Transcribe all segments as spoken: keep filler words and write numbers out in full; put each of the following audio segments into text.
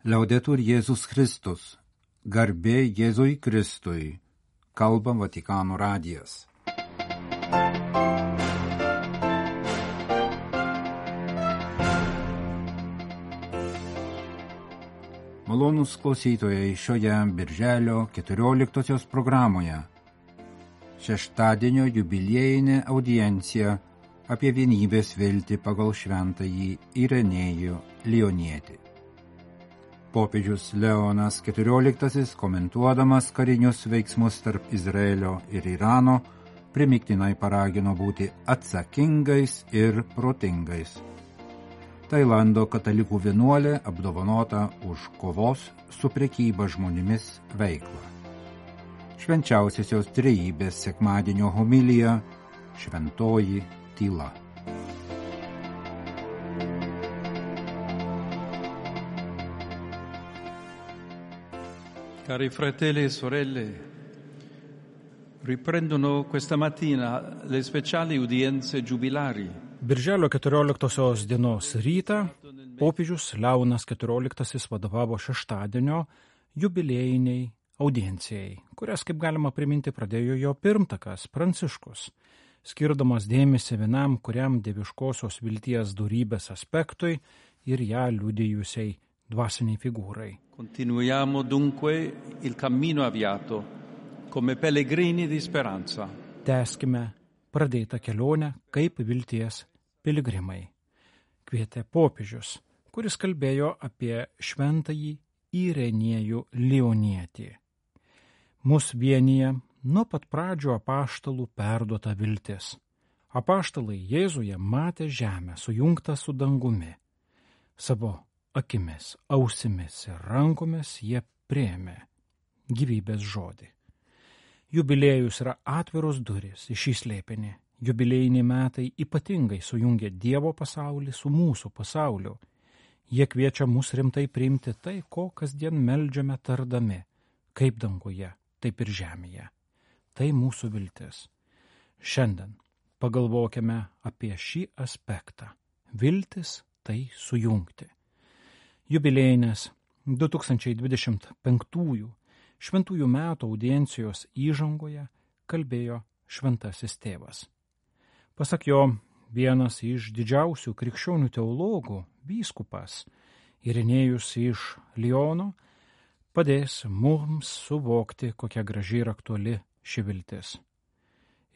Liaudetur Jėzus Kristus, garbė Jėzui Kristui, kalba Vatikano radijas. Malonūs klausytojai šioje birželio keturioliktosios programoje. Šeštadienio jubiliejinė audiencija apie vienybės viltį pagal šventąjį Irenėjų Lionietį. Popiežius Leonas keturioliktasis, komentuodamas karinius veiksmus tarp Izraelio ir Irano, primiktinai paragino būti atsakingais ir protingais. Tailando katalikų vienuolė apdovanota už kovos su prekyba žmonėmis veiklą. Švenčiausiosios trejybės sekmadienio homilija Šventoji tyla. Cari fratelli e sorelle, riprendono questa mattina le speciali udienze giubilari. Birželio keturioliktosios dienos rytą popiežius Leonas keturioliktasis vadovavo šeštadienio jubiliejiniai audiencijai, kurias, kaip galima priminti, pradėjo jo pirmtakas Pranciškus, skirdamas dėmesį vienam, kuriam dieviškosios vilties dorybės aspektui ir ją liudijusiai dvasiniai figūrai. Continuiamo dunque il cammino avviato come pellegrini di speranza. Tęskime pradėtą kelionę kaip vilties piligrimai, kvietė popiežius, kuris kalbėjo apie šventąjį Irenėjų Lionietį. Mus vienija nuo pat pradžių apaštalų perduota viltis. Apaštalai Jėzuje matė žemę sujungtą su dangumi. Savo akimis, ausimis ir rankomis jie priėmė gyvybės žodį. Jubiliejus yra atviros durys į šį slėpinį. Jubiliejiniai metai ypatingai sujungia Dievo pasaulį su mūsų pasauliu. Jie kviečia mus rimtai priimti tai, ko kasdien meldžiame tardami, kaip danguje, taip ir žemėje. Tai mūsų viltis. Šiandien pagalvokime apie šį aspektą. Viltis tai sujungti. Jubiliejinės du tūkstančiai dvidešimt penktųjų šventųjų metų audiencijos įžangoje kalbėjo šventasis tėvas. Pasak jo, vienas iš didžiausių krikščionių teologų, vyskupas Irenėjus iš Liono, padės mums suvokti, kokia graži ir aktuali ši viltis.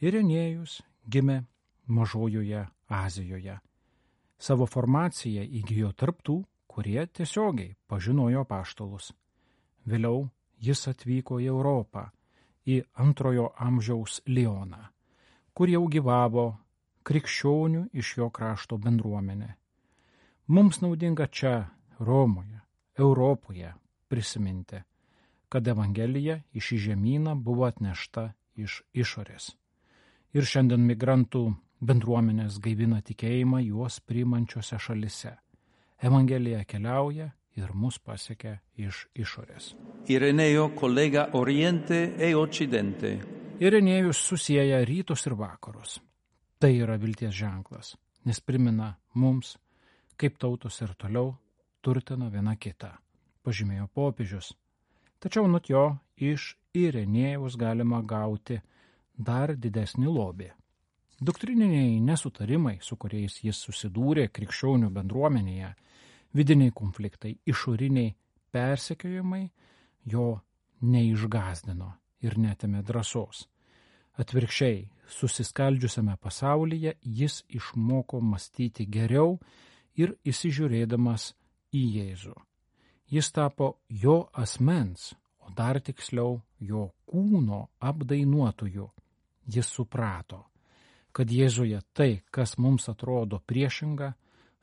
Irenėjus gimė Mažojoje Azijoje. Savo formaciją įgijo tarptų, kurie tiesiogiai pažinojo apaštalus. Vėliau jis atvyko į Europą, į antrojo amžiaus Lioną, kur jau gyvavo krikščionių iš jo krašto bendruomenė. Mums naudinga čia, Romoje, Europoje prisiminti, kad Evangelija į šį žemyną buvo atnešta iš išorės. Ir šiandien migrantų bendruomenės gaivina tikėjimą juos priimančiose šalise. Evangelija keliauja ir mus pasiekia iš išorės. Ireneo collega Oriente e Occidente. Irenėjus susieja rytus ir vakarus. Tai yra vilties ženklas, nes primena mums, kaip tautos ir toliau turtina viena kitą, pažymėjo popiežius. Tačiau nuo jo iš Irenėjaus galima gauti dar didesnį lobį. Doktrininiai nesutarimai, su kuriais jis susidūrė krikščionių bendruomenėje, vidiniai konfliktai, išoriniai persekiojimai jo neišgazdino ir netėmė drąsos. Atvirkščiai, susiskaldžiusiame pasaulyje jis išmoko mąstyti geriau ir įsižiūrėdamas į Jėzų. Jis tapo jo asmens, o dar tiksliau jo kūno apdainuotoju. Jis suprato, kad Jėzuje tai, kas mums atrodo priešinga,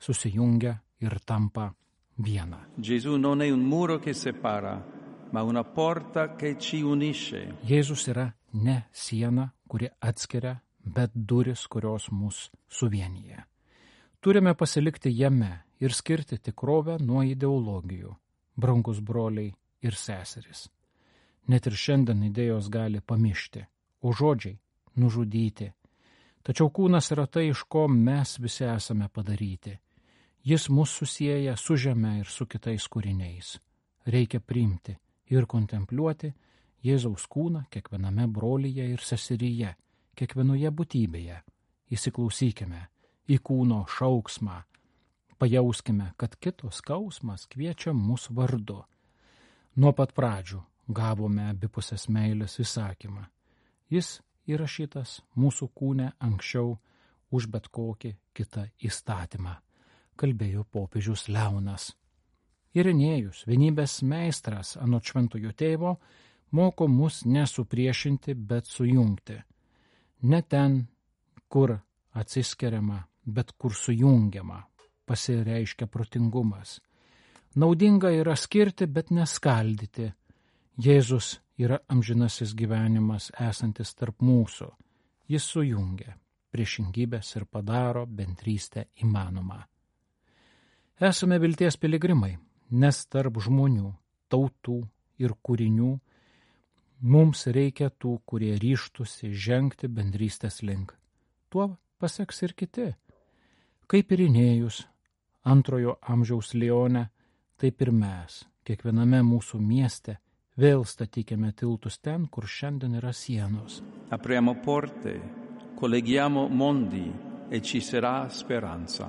susijungia ir tampa viena. Gesù non è un muro che separa, ma una porta che ci unisce. Jėzus yra ne siena, kuri atskiria, bet duris, kurios mus suvienyje. Turime pasilikti jame ir skirti tikrovę nuo ideologijų, brangus broliai ir seserys. Net ir šiandien idėjos gali pamišti, o žodžiai nužudyti. Tačiau kūnas yra tai, iš ko mes visi esame padaryti. Jis mus susieja su žeme ir su kitais kūriniais. reikia priimti ir kontempliuoti Jėzaus kūną kiekviename brolyje ir seseryje, kiekvienoje būtybėje. Įsiklausykime į kūno šauksmą, pajauskime, kad kito skausmas kviečia mus vardu. Nuo pat pradžių gavome abipusės meilės įsakymą. Jis įrašytas mūsų kūne anksčiau už bet kokį kitą įstatymą, kalbėjo popiežius Leonas. Irenėjus, vienybės meistras anot šventojo tėvo, moko mus nesupriešinti, bet sujungti. Ne ten, kur atsiskiriama, bet kur sujungiama, pasireiškia protingumas. Naudinga yra skirti, bet neskaldyti. Jėzus yra amžinasis gyvenimas esantis tarp mūsų. Jis sujungia priešingybės ir padaro bendrystę įmanomą. Esame vilties piligrimai, nes tarp žmonių, tautų ir kūrinių mums reikia tų, kurie ryžtųsi žengti bendrystės link. Tuo paseks ir kiti. Kaip Irenėjus, antrojo amžiaus Leone, taip ir mes, kiekviename mūsų mieste, vėl statykime tiltus ten, kur šiandien yra sienos. Apriamo porte, colleghiamo mondi e ci sarà speranza.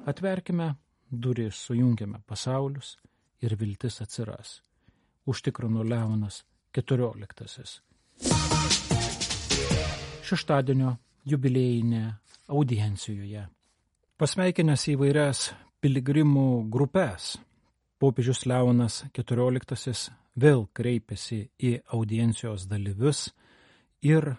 Atverkime duris, sujungiame pasaulius ir viltis atsiras. Užtikrino Leonas keturioliktasis. Šeštadienio jubiliejinė audiencijoje. Pasveikinęs įvairias piligrimų grupės, popiežius Leonas keturioliktasis vėl kreipėsi į audiencijos dalyvius ir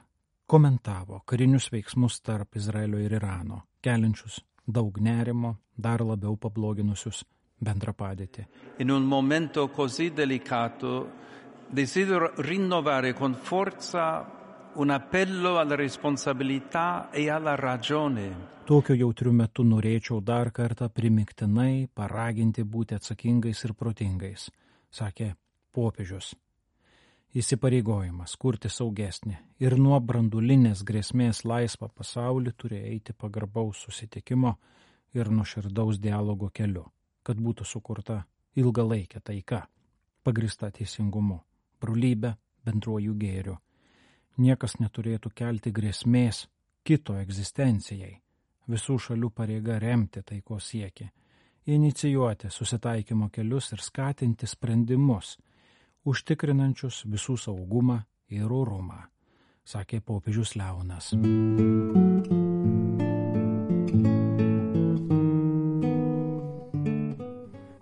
komentavo karinius veiksmus tarp Izraelio ir Irano, keliančius daug nerimo, dar labiau pabloginusius bendrą padėtį. In un momento così delicato desidero rinnovare con forza un appello alla responsabilità e alla ragione. Tokiu jautriu metu norėčiau dar kartą primiktinai paraginti būti atsakingais ir protingais, sakė popiežius. Įsipareigojimas kurti saugesnį ir nuo branduolinės grėsmės laisvą pasaulį turi eiti pagarbaus susitikimo ir nuoširdaus dialogo keliu, kad būtų sukurta ilgalaikė taika, pagrįsta teisingumu, brolybė, bendruoju gėriu. Niekas neturėtų kelti grėsmės kito egzistencijai. Visų šalių pareiga remti taikos siekį, inicijuoti susitaikymo kelius ir skatinti sprendimus, užtikrinančius visų saugumą ir orumą, sakė popiežius Leonas.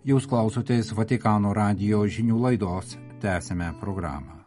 Jūs klausotės Vatikano radijo žinių laidos, tęsime programą.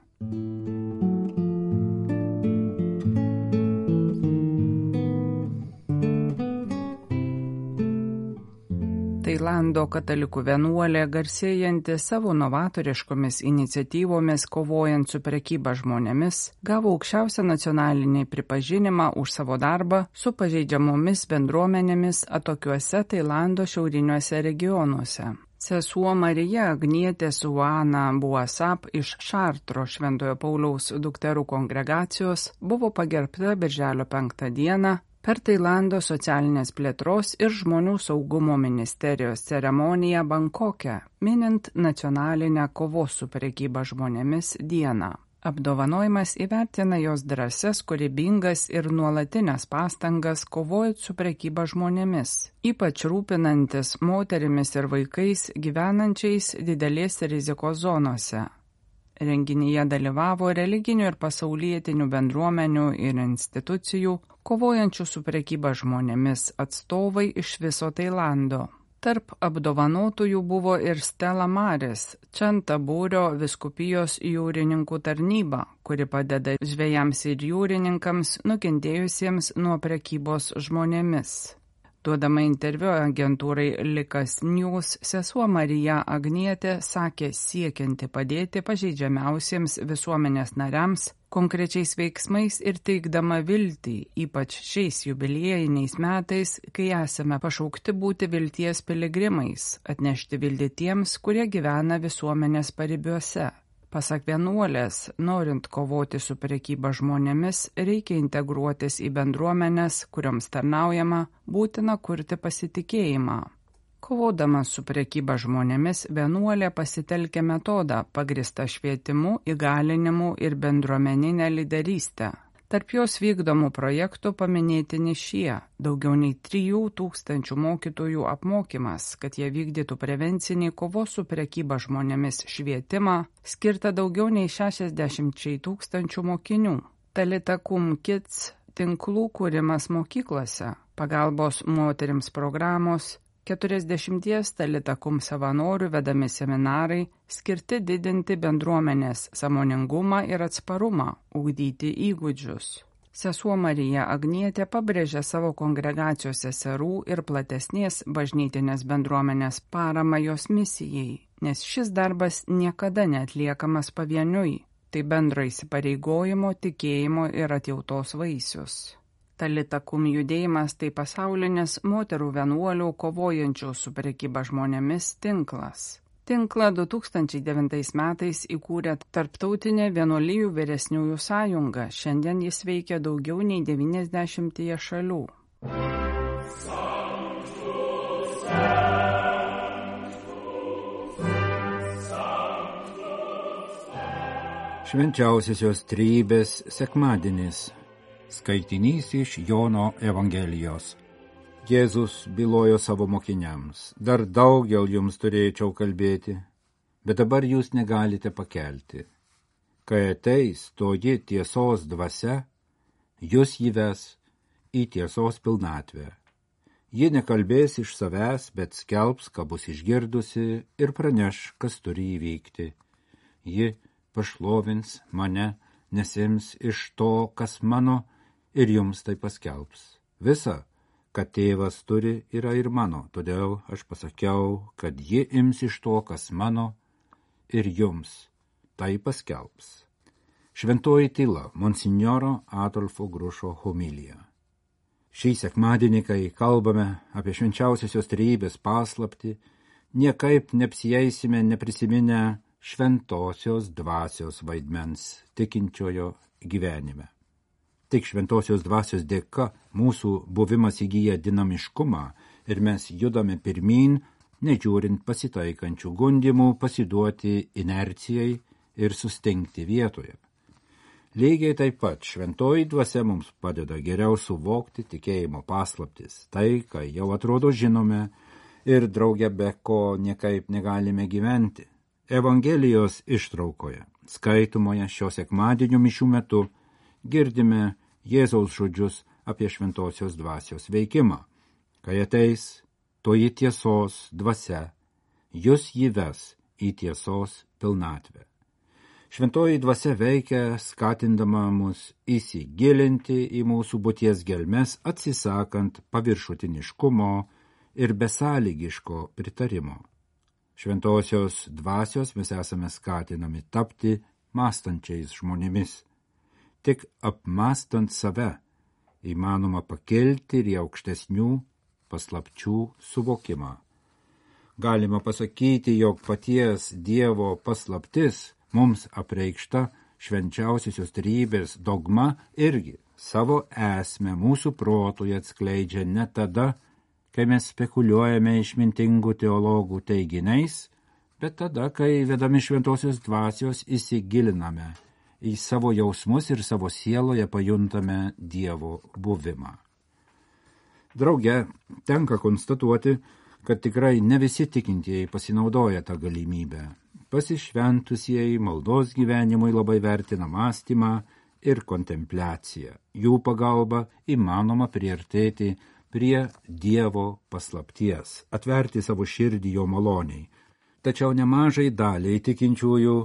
Tailando katalikų vienuolė, garsėjanti savo novatoriškomis iniciatyvomis kovojant su prekyba žmonėmis, gavo aukščiausią nacionalinį pripažinimą už savo darbą su pažeidžiamomis bendruomenėmis atokiuose Tailando šiauriniuose regionuose. Sesuo Marija Agnietė Suana Buasap iš Šartro Šventojo Pauliaus dukterų kongregacijos buvo pagerbta birželio penktą dieną per Tailando socialinės plėtros ir žmonių saugumo ministerijos ceremoniją Bankoke, minint nacionalinę kovos su prekyba žmonėmis dieną. Apdovanojimas įvertina jos drąsias, kūrybingas ir nuolatinės pastangas kovojant su prekyba žmonėmis, ypač rūpinantis moterimis ir vaikais gyvenančiais didelės rizikos zonose. Renginyje dalyvavo religinių ir pasaulietinių bendruomenių ir institucijų, kovojančių su prekyba žmonėmis atstovai iš viso Tailando. Tarp apdovanotųjų buvo ir Stella Maris, Čantabūrio vyskupijos jūrininkų tarnyba, kuri padeda žvejams ir jūrininkams nukentėjusiems nuo prekybos žmonėmis. Duodama interviu agentūrai Likas News, sesuo Marija Agnietė sakė siekianti padėti pažeidžiamiausiems visuomenės nariams konkrečiais veiksmais ir teikdama viltį, ypač šiais jubiliejiniais metais, kai esame pašaukti būti vilties piligrimais, atnešti viltį tiems, kurie gyvena visuomenės paribiuose. Pasak vienuolės, norint kovoti su prekyba žmonėmis, reikia integruotis į bendruomenes, kurioms tarnaujama, būtina kurti pasitikėjimą. Kovodama su prekyba žmonėmis, vienuolė pasitelkė metodą pagristą švietimu, įgalinimu ir bendruomeninę lyderystę. Tarp jos vykdomų projektų paminėtini šie – daugiau nei trijų tūkstančių mokytojų apmokymas, kad jie vykdytų prevencinį kovos su prekyba žmonėmis švietimą, skirta daugiau nei šešiasdešimčiai tūkstančių mokinių. Talita Kum Kids tinklų kūrimas mokyklose, pagalbos moterims programos, keturiasdešimties Talita Kum savanorių vedami seminarai skirti didinti bendruomenės sąmoningumą ir atsparumą, ugdyti įgūdžius. Sesuo Marija Agnietė pabrėžė savo kongregacijos seserų ir platesnės bažnytinės bendruomenės paramą jos misijai, nes šis darbas niekada neatliekamas pavieniui, tai bendro įsipareigojimo, tikėjimo ir atjautos vaisius. Talita Kum judėjimas tai pasaulinis moterų vienuolių kovojančių su prekyba žmonėmis tinklas. Tinklą du tūkstančiai devintais metais įkūrė Tarptautinė vienuolijų vyresniųjų sąjunga. Šiandien jis veikia daugiau nei devyniasdešimtyje šalių. Švenčiausiosios Trejybės sekmadienis. Skaitinys iš Jono Evangelijos. Jėzus bylojo savo mokiniams: dar daugel jums turėčiau kalbėti, bet dabar jūs negalite pakelti. Kai ateis toji tiesos dvasia, jūs jį ves į tiesos pilnatvę. Ji nekalbės iš savęs, bet skelbs, ką bus išgirdusi, ir praneš, kas turi įvykti. Ji pašlovins mane, nes ims iš to, kas mano, ir jums tai paskelbs. Visa, kad tėvas turi, yra ir mano, todėl aš pasakiau, kad ji ims iš to, kas mano, ir jums tai paskelbs. Šventoji tyla, monsinjoro Adolfo Grušo homilija. Šį sekmadienį, kai kalbame apie švenčiausiosios trejybės paslaptį, niekaip neapsieisime neprisiminę šventosios dvasios vaidmens tikinčiojo gyvenime. Tik šventosios dvasios dėka mūsų buvimas įgyja dinamiškumą ir mes judame pirmyn, nežiūrint pasitaikančių gundimų pasiduoti inercijai ir sustingti vietoje. Lygiai taip pat šventoji dvasia mums padeda geriau suvokti tikėjimo paslaptis, tai, kai jau atrodo žinome ir drauge be ko niekaip negalime gyventi. Evangelijos ištraukoje, skaitomoje šio sekmadienio mišių metu, girdime Jėzaus žodžius apie šventosios dvasios veikimą. Kai ateis toji tiesos dvasia, jūs jį ves į tiesos pilnatvę. Šventoji dvasia veikia, skatindama mus įsigilinti į mūsų būties gelmes, atsisakant paviršutiniškumo ir besąlygiško pritarimo. Šventosios dvasios mes esame skatinami tapti mąstančiais žmonėmis. Tik apmąstant save įmanoma pakelti ir į aukštesnių paslapčių suvokimą. Galima pasakyti, jog paties Dievo paslaptis mums apreikšta švenčiausiosios trejybės dogma irgi savo esmę mūsų protui atskleidžia ne tada, kai mes spekuliuojame išmintingų teologų teiginiais, bet tada, kai vedami šventosios dvasios įsigiliname į savo jausmus ir savo sieloje pajuntame Dievo buvimą. Drauge, tenka konstatuoti, kad tikrai ne visi tikintieji pasinaudoja tą galimybę. Pasišventusieji maldos gyvenimui labai vertina mąstymą ir kontempliaciją. Jų pagalba įmanoma priartėti prie Dievo paslapties, atverti savo širdį jo maloniai. Tačiau nemažai daliai tikinčiųjų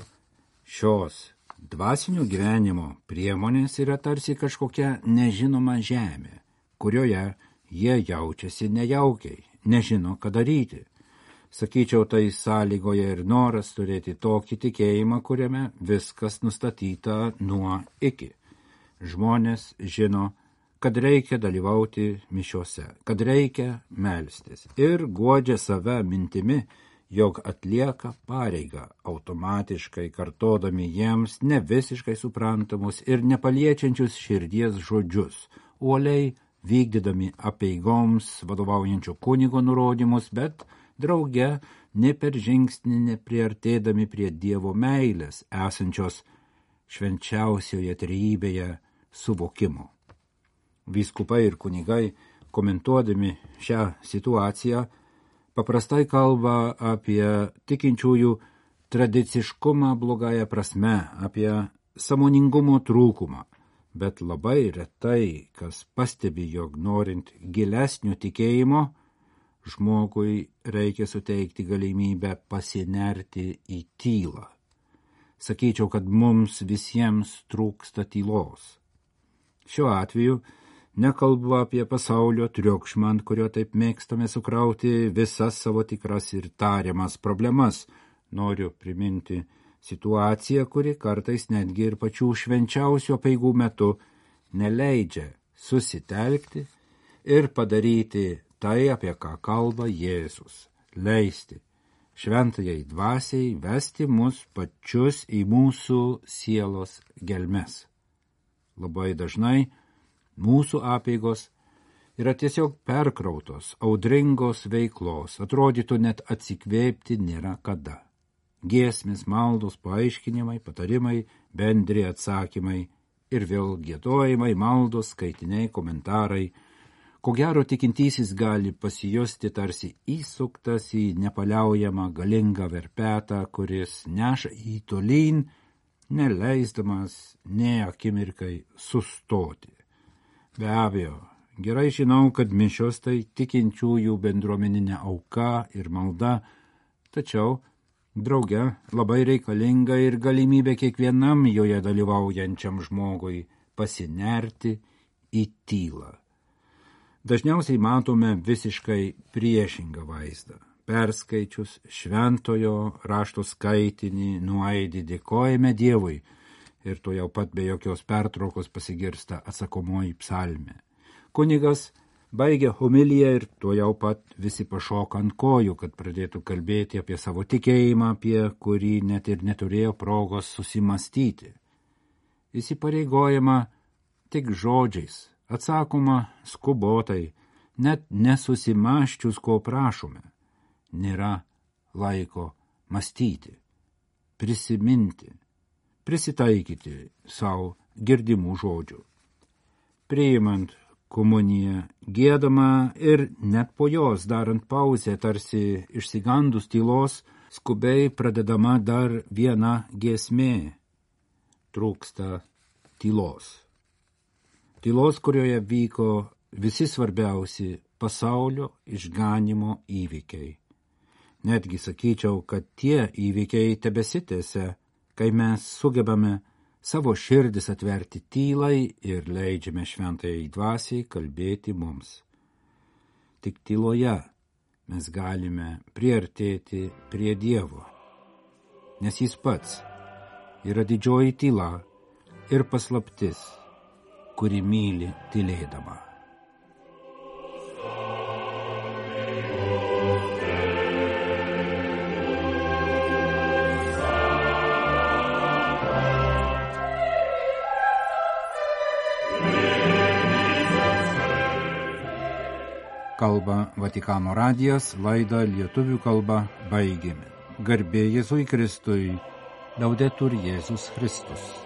šios dvasinio gyvenimo priemonės yra tarsi kažkokia nežinoma žemė, kurioje jie jaučiasi nejaukiai, nežino, ką daryti. Sakyčiau, tai sąlygoje ir noras turėti tokį tikėjimą, kuriame viskas nustatyta nuo iki. Žmonės žino, kad reikia dalyvauti mišiose, kad reikia melstis ir guodžia save mintimi, jog atlieka pareigą, automatiškai kartodami jiems ne visiškai suprantamus ir nepaliečiančius širdies žodžius, uoliai vykdydami apeigoms vadovaujančio kunigo nurodymus, bet drauge ne per žingsnį nepriartėdami prie Dievo meilės esančios švenčiausioje trejybėje suvokimo. Vyskupai ir kunigai, komentuodami šią situaciją, paprastai kalba apie tikinčiųjų tradiciškumą blogąją prasme, apie sąmoningumo trūkumą, bet labai retai, kas pastebi, jog norint gilesnio tikėjimo, žmogui reikia suteikti galimybę pasinerti į tylą. Sakyčiau, kad mums visiems trūksta tylos. Šiuo atveju nekalbu apie pasaulio triukšmą, ant kurio taip mėgstame sukrauti visas savo tikras ir tariamas problemas. Noriu priminti situaciją, kuri kartais netgi ir pačių švenčiausių apeigų metu neleidžia susitelkti ir padaryti tai, apie ką kalba Jėzus, leisti šventajai dvasiai vesti mus pačius į mūsų sielos gelmes. Labai dažnai mūsų apeigos yra tiesiog perkrautos, audringos veiklos, atrodytų net atsikvėpti nėra kada. Giesmės, maldos, paaiškinimai, patarimai, bendri atsakymai ir vėl giedojimai, maldos, skaitiniai, komentarai. Ko gero tikintysis gali pasijusti tarsi įsuktas į nepaliaujamą galingą verpetą, kuris neša į tolyn, neleisdamas nė akimirkai sustoti. Be abejo, gerai žinau, kad mišios tai tikinčiųjų bendruomeninė auka ir malda, tačiau drauge labai reikalinga ir galimybė kiekvienam joje dalyvaujančiam žmogui pasinerti į tylą. Dažniausiai matome visiškai priešingą vaizdą. Perskaičius šventojo rašto skaitinį nuaidi dėkojame Dievui ir to jau pat be jokios pertraukos pasigirsta atsakomoji psalmė. Kunigas baigia homiliją ir to jau pat visi pašoka ant kojų, kad pradėtų kalbėti apie savo tikėjimą, apie kurį net ir neturėjo progos susimastyti. Įsipareigojama tik žodžiais, atsakoma skubotai, net nesusimaščius, ko prašome. Nėra laiko mąstyti, prisiminti, prisitaikyti savo girdimų žodžių. Priimant komuniją, giedama ir net po jos darant pauzę, tarsi išsigandus tylos, skubiai pradedama dar viena giesmė. Trūksta tylos. Tylos, kurioje vyko visi svarbiausi pasaulio išganimo įvykiai. Netgi sakyčiau, kad tie įvykiai tebesitęsia, kai mes sugebame savo širdis atverti tylai ir leidžiame šventajai dvasiai kalbėti mums. Tik tyloje mes galime priartėti prie Dievo, nes jis pats yra didžioji tyla ir paslaptis, kuri myli tylėdama. Kalba Vatikano radijas, laidą lietuvių kalba baigėme. Garbė Jėzui Kristui, Laudetur Jėzus Kristus.